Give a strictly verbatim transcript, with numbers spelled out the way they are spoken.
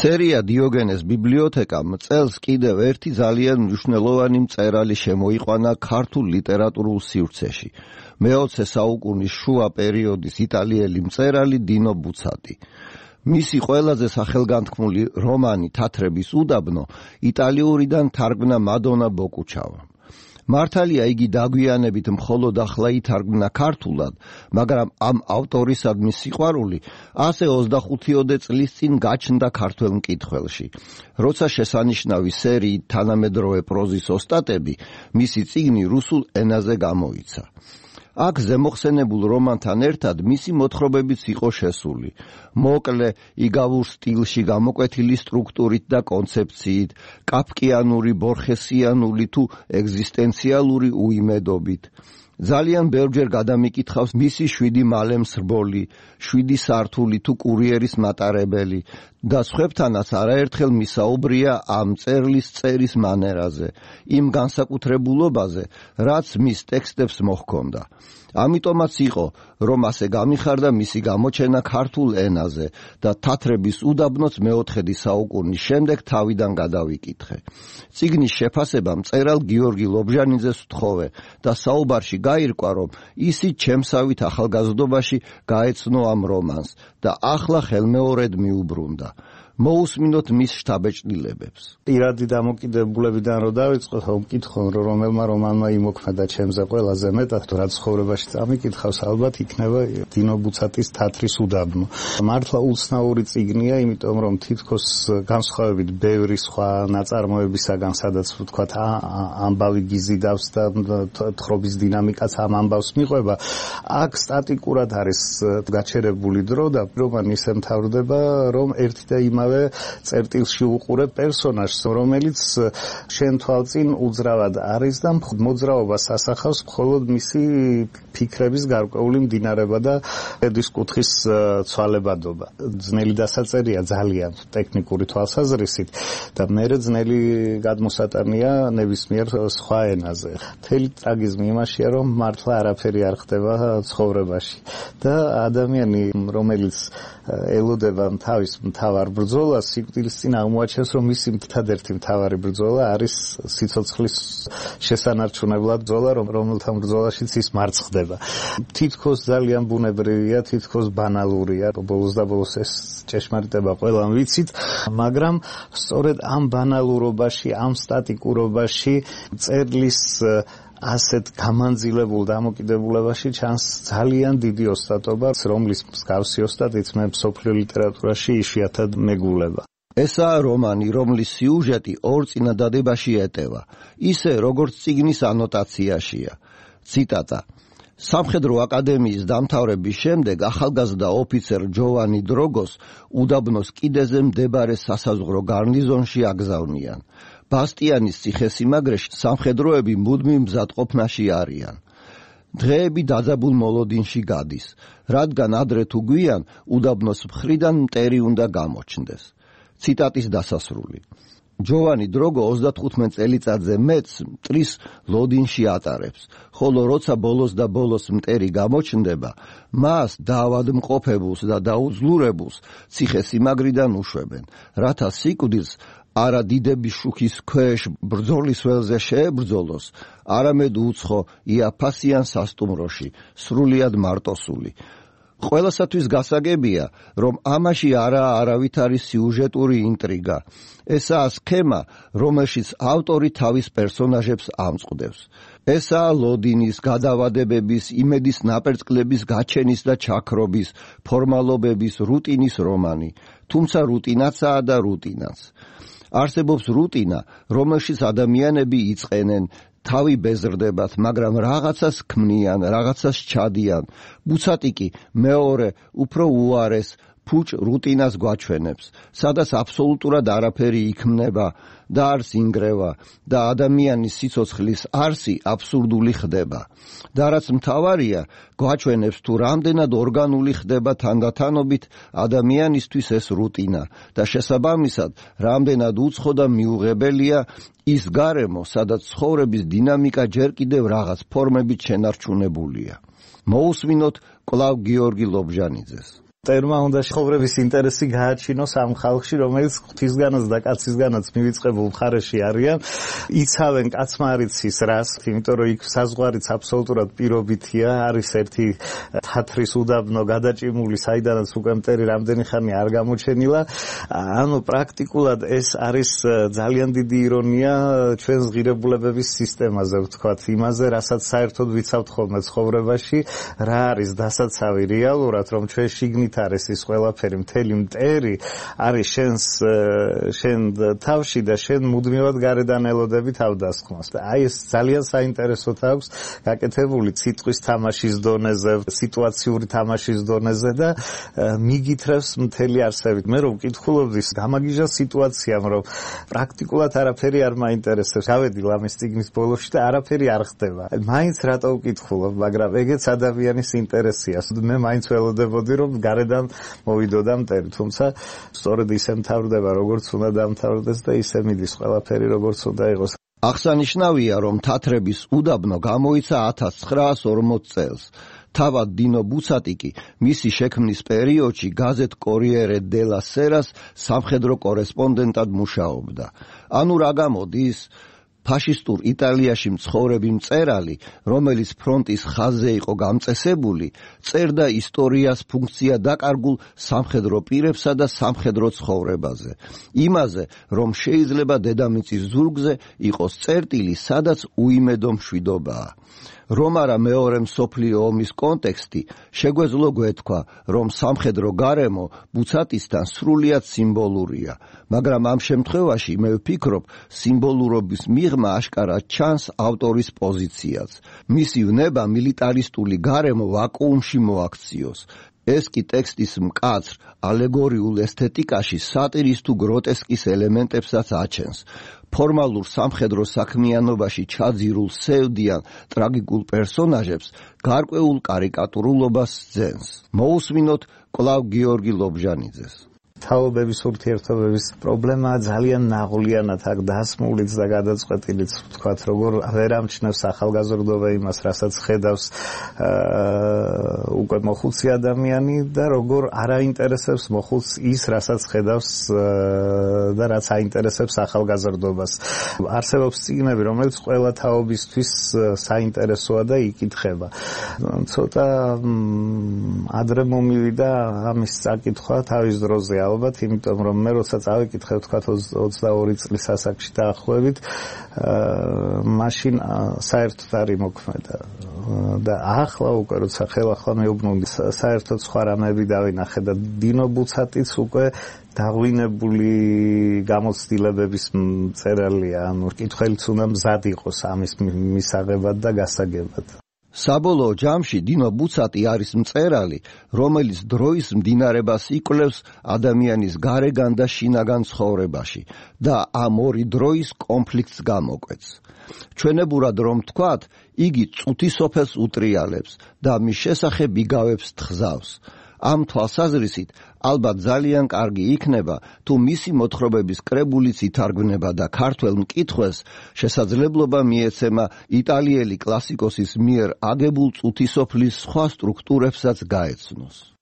სერია დიოგენეს ბიბლიოთეკამ წელს კიდევ ერთი ძალიან მნიშვნელოვანი მწერალი შემოიყვანა ქართულ ლიტერატურულ სივრცეში. მეოცე საუკუნის შუა პერიოდის იტალიელი მწერალი დინო ბუცატი. მისი ყველაზე სახელგანთქმული რომანი თათრების უდაბნო იტალიურიდან თარგმნა მადონა ბოკუჩავამ. მართალია იგი დაგვიანებით მხოლოდ ახლა ითარგმნა ქართულად, მაგრამ ამ ავტორისადმი სიყვარული ასე ოცდახუთიოდე წლის წინ გაჩნდა ქართველ მკითხველში. როცა შესანიშნავი სერიით თანამედროვე პროზის ოსტატები, მისი წიგნი რუსულ ენაზე გამოიცა. აქ ზემოხსენებულ რომანთან ერთად მისი მოთხრობებიც იყო შესული. მოკლე, იგავურ სტილში გამოკვეთილი სტრუქტურით და კონცეფციით, კაფკიანური, ბორხესიანული თუ ეგზისტენციალური უიმედობით. ძალიან ბევრჯერ გადამიკითხავს მისი შვიდი მალე მსრბოლი, შვიდი სართული თუ კურიერის მატარებელი და სხვებთანაც არაერთხელ მისაუბრია ამ წერლის წერის მანერაზე, იმ განსაკუთრებულობაზე, რაც მის ტექსტებს მოჰქონდა. ამიტომაც იყო, რომ ასე გამიხარდა მისი გამოჩენა ქართულ ენაზე და თათრების უდაბნოც მეოთხედი საუკუნის შემდეგ თავიდან გადავიკითხე. წიგნის შეფასება მწერალ გიორგი ლობჟანიძეს ვთხოვე და საუბარში გაირკვა, რომ ისიც ჩემსავით ახალგაზრდობაში გაეცნო ამ რომანს და ახლა ხელმეორედ მიუბრუნდა. მოусმინოთ მის შთაბეჭდილებებს. პირადი დამოკიდებულებიდან რო დავიწყოთ, ვკითხო, რომ რომელმა რომანმა იმოქმედა ჩემზე ყველაზე მეტად, რაც ცხოვრებაში წამიკითხავს, ალბათ იქნება დინო ბუცატის თათრის უდაბნო. მართლა უცნაური წიგნია, იმიტომ რომ თითქოს განსხვავებით ბევრი სხვა ნაწარმოებისაგან, სადაც ვთქვათ, ამბავი გიზიდავს და თხრობის დინამიკაც ამ ამბავს მიყვება, აქ სტატიკურად არის გაჩერებული დრო და რომანი ისე მთავრდება, რომ ერთი და იმავე წერტილში უყურებ პერსონაჟს, რომელიც შენ თვალწინ უძრავად არის და მოძრაობას ასახავს მხოლოდ მისი ფიქრების გარკვეული მდინარება და ედის კუთხის ცვალებადობა. ძნელი დასაწერია ძალიან ტექნიკური თვალსაზრისით და მერე ძნელი გადმოსატანია ნებისმიერ სხვა ენაზე. მთელი ტრაგიზმი იმაშია, რომ მართლა არაფერი არ ხდება ცხოვრებაში და ადამიანი, რომელიც ელოდება თავის მთავარ ბრძოლას, სიკვდილის წინ აღმოაჩენს, რომ მისი ერთადერთი მთავარი ბრძოლა არის სიცოცხლის შესანარჩუნებლად ბრძოლა, რომელთა ბრძოლაშიც ის მარცხდება. თითქოს ძალიან ბუნებრივია, თითქოს ბანალურია, ბოლოს და ბოლოს ეს ჭეშმარიტება ყველამ ვიცით, მაგრამ სწორედ ამ ბანალურობაში, ამ სტატიკურობაში წერლის ასეთ გამანძილებულ დამოკიდებულებაში ჩანს ძალიან დიდი ოსტატობა, რომლის მსგავსი ოსტატიც მე მსოფლიო ლიტერატურაში იშვიათად მეგულება. ესაა რომანი, რომლის სიუჟეტი ორ წინადადებაში ეტევა, ისე როგორც წიგნის ანოტაციაშია. ციტატა: სამხედრო აკადემიის დამთავრების შემდეგ ახალგაზრდა ოფიცერ ჯოვანი დროგოს უდაბნოს კიდეზე მდებარე სასაზღვრო გარნიზონში აგზავნიან. ბასტიანის ციხესიმაგრეში სამხედროები მუდმივ მზადყოფნაში არიან. დღეები დაძაბულ მოლოდინში გადის, რადგან ადრე თუ გვიან უდაბნოს მხრიდან მტერი უნდა გამოჩნდეს. ციტატის დასასრული. ჯოვანი დროგო ოცდათხუთმეტ წელიწადზე მეტს მტრის ლოდინში ატარებს, ხოლო როცა ბოლოს და ბოლოს მტერი გამოჩნდება, მას დაავადმყოფებულს და დაუძლურებულს ციხესიმაგრიდან უშვებენ, რათა სიკვდილს არა დიდების შუქის ქვეშ ბრძოლის ველზე შეებრძოლოს, არამედ უცხო იაფასიან სასტუმროში, სრულიად მარტოსული. ყველასათვის გასაგებია, რომ ამაში არაა არავითარი სიუჟეტური ინტრიგა. ესაა სქემა, რომელშიც ავტორი თავის პერსონაჟებს ამწყდებს. ესაა ლოდინის, გადავადებების, იმედის ნაპერწკლების გაჩენის და ჩაქრობის, ფორმალობების, რუტინის რომანი. თუმცა რუტინაცაა და რუტინაც. არსებობს რუტინა, რომელშიც ადამიანები იწყენენ, თავი ბეზრდებათ, მაგრამ რაღაცას ქმნიან, რაღაცას ჩადიან. ბუცატი კი მეორე, უფრო უარეს, ფუჭ რუტინას გვაჩვენებს, სადაც აბსოლუტურად არაფერი იქმნება და არც ინგრევა და ადამიანის სიცოცხლის არსი აბსურდული ხდება. და რაც მთავარია, გვაჩვენებს თუ რამდენად ორგანული ხდება თანდათანობით ადამიანისთვის ეს რუტინა და შესაბამისად რამდენად უცხო და მიუღებელია ის გარემო, სადაც ცხოვრების დინამიკა ჯერ კიდევ რაღაც ფორმებით შენარჩუნებულია. მოусმინოთ კვლავ გიორგი ლობჟანიძეს. ტერმა უნდა ცხოვრების ინტერესი გააჩინოს ამ ხალხში, რომელიც ღვთისგანაც და კაცისგანაც მივიწყებულ მხარეში არიან, იცავენ კაცმარიცის რას, იმიტომ რომ იქ საზღვარიც აბსოლუტურად პირობითია, არის ერთი თათრის უდაბნო გადაჭიმული, საიდანაც უკვე მტერი რამდენი ხანი არ გამოჩენილა. ანუ პრაქტიკულად ეს არის ძალიან დიდი ირონია ჩვენს ღირებულებების სისტემაზე, ვთქვათ, იმაზე, რასაც საერთოდ ვიცავთ ხოლმე ცხოვრებაში, რა არის დასაცავი რეალურად, რომ ჩვენ შიგნით არის ის ყველაფერი, მთელი მტერი არის შენს შენ თავში და შენ მუდმივად გარედან ელოდები თავდასხმას. და აი ეს ძალიან საინტერესო აქვს გაკეთებული ციტყვის თამაშის დონეზე, სიტუაციური თამაშის დონეზე და მიგითრევს მთელი არსებით. მე რომ ვკითხულობდი გამაგიჟა სიტუაციამ, რომ პრაქტიკულად არაფერი არ მაინტერესებს. გავედი ლამის წიგნის ბოლოში და არაფერი არ ხდება. მაინც რატო ვკითხულობ, მაგრამ ეგეც ადამიანის ინტერესია. მე მაინც ველოდებოდი, რომ გარედან მოვიდოდა მტერი, თუმცა სწორედ ისე მთავრდება, როგორც უნდა დამთავრდეს და ისე მიდის ყველაფერი, როგორც უნდა იყოს. აღსანიშნავია, რომ თათრების უდაბნო გამოიცა ათას ცხრაას ორმოც წელს. თავად დინო ბუცატი კი მისი შექმნის პერიოდში გაზეთ კორიერე დელა სერას სამხედრო კორესპონდენტად მუშაობდა. ანუ რა გამოდის? ფაშისტურ იტალიაში მცხოვრები მწერალი, რომელიც ფრონტის ხაზზე იყო გამწესებული, წერდა ისტორიას ფუნქცია დაკარგულ სამხედრო პირებსა და სამხედრო ცხოვრებაზე. იმაზე, რომ შეიძლება დედამიწის ზურგზე იყოს წერტილი, სადაც უიმედო მშვიდობაა. რომ არა მეორე მსოფლიო ომის კონტექსტი, შეგვეძლო გვეთქვა, რომ სამხედრო გარემო ბუცატისთან სრულიად სიმბოლურია, მაგრამ ამ შემთხვევაში მე ვფიქრობ, სიმბოლურობის მიღმა აშკარად ჩანს ავტორის პოზიციაც. მისი ვნება მილიტარისტული გარემო ვაკუუმში მოაქციოს. ეს კი ტექსტის მკაცრ ალეგორიულ ესთეტიკაში სატირის თუ გროტესკის ელემენტებსაც აჩენს. ფორმალურ სამხედრო საქმიანობაში ჩაძირულ სევდიან ტრაგიკულ პერსონაჟებს გარკვეულ კარიკატურულობას ძენს. მოусმინოთ კვლავ გიორგი ლობჟანიძეს. თაობების ურთიერთობების პრობლემა ძალიან ნაღვლიანად აქ დასმულიც და გადაწყვეტილიც, ვთქვათ, როგორ ვერ ამჩნევს ახალგაზრდობა იმას, რასაც ხედავს უკვე მოხუცი ადამიანი და როგორ არ აინტერესებს მოხუცს ის, რასაც ხედავს და რაც აინტერესებს ახალგაზრდობას. არსებობს წიგნები, რომელიც ყველა თაობისთვის საინტერესოა და იკითხება. ცოტა ადრე მომივიდა ამის წაკითხვა თავის დროზე, ალბათ, იმიტომ რომ მე როცა წავიკითხე, ვთქვათ, ოცდაორი წლის ასაკში დაახლოებით, მაშინ საერთოდ არ იმოქმედა. და ახლა უკვე როცა ხელახლა მეუბნული, საერთოდ სხვა რამეები დავინახე და დინო ბუცატიც უკვე დაღვინებული გამოცდილებების მწერალია, ანუ კითხველიც უნდა მზად იყოს ამის მისაღებად და გასაგებად. საბოლოო ჯამში დინო ბუცატი არის მწერალი, რომელიც დროის მდინარებას იკვლევს ადამიანის გარეგან და შინაგან ცხოვრებაში და ამ ორი დროის კონფლიქტს გამოკვეთს. ჩვენებურად რომ ვთქვათ, იგი წუთი სოფელს უტრიალებს და მის შესახებ იგავებს თხზავს. ამ თვალსაზრისით ალბათ ძალიან კარგი იქნება, თუ მისი მოთხრობების კრებულიც ითარგმნება და ქართველ მკითხველს შესაძლებლობა მიეცემა იტალიელი კლასიკოსის მიერ აგებულ წუთისოფლის სხვა სტრუქტურებსაც გაეცნოს.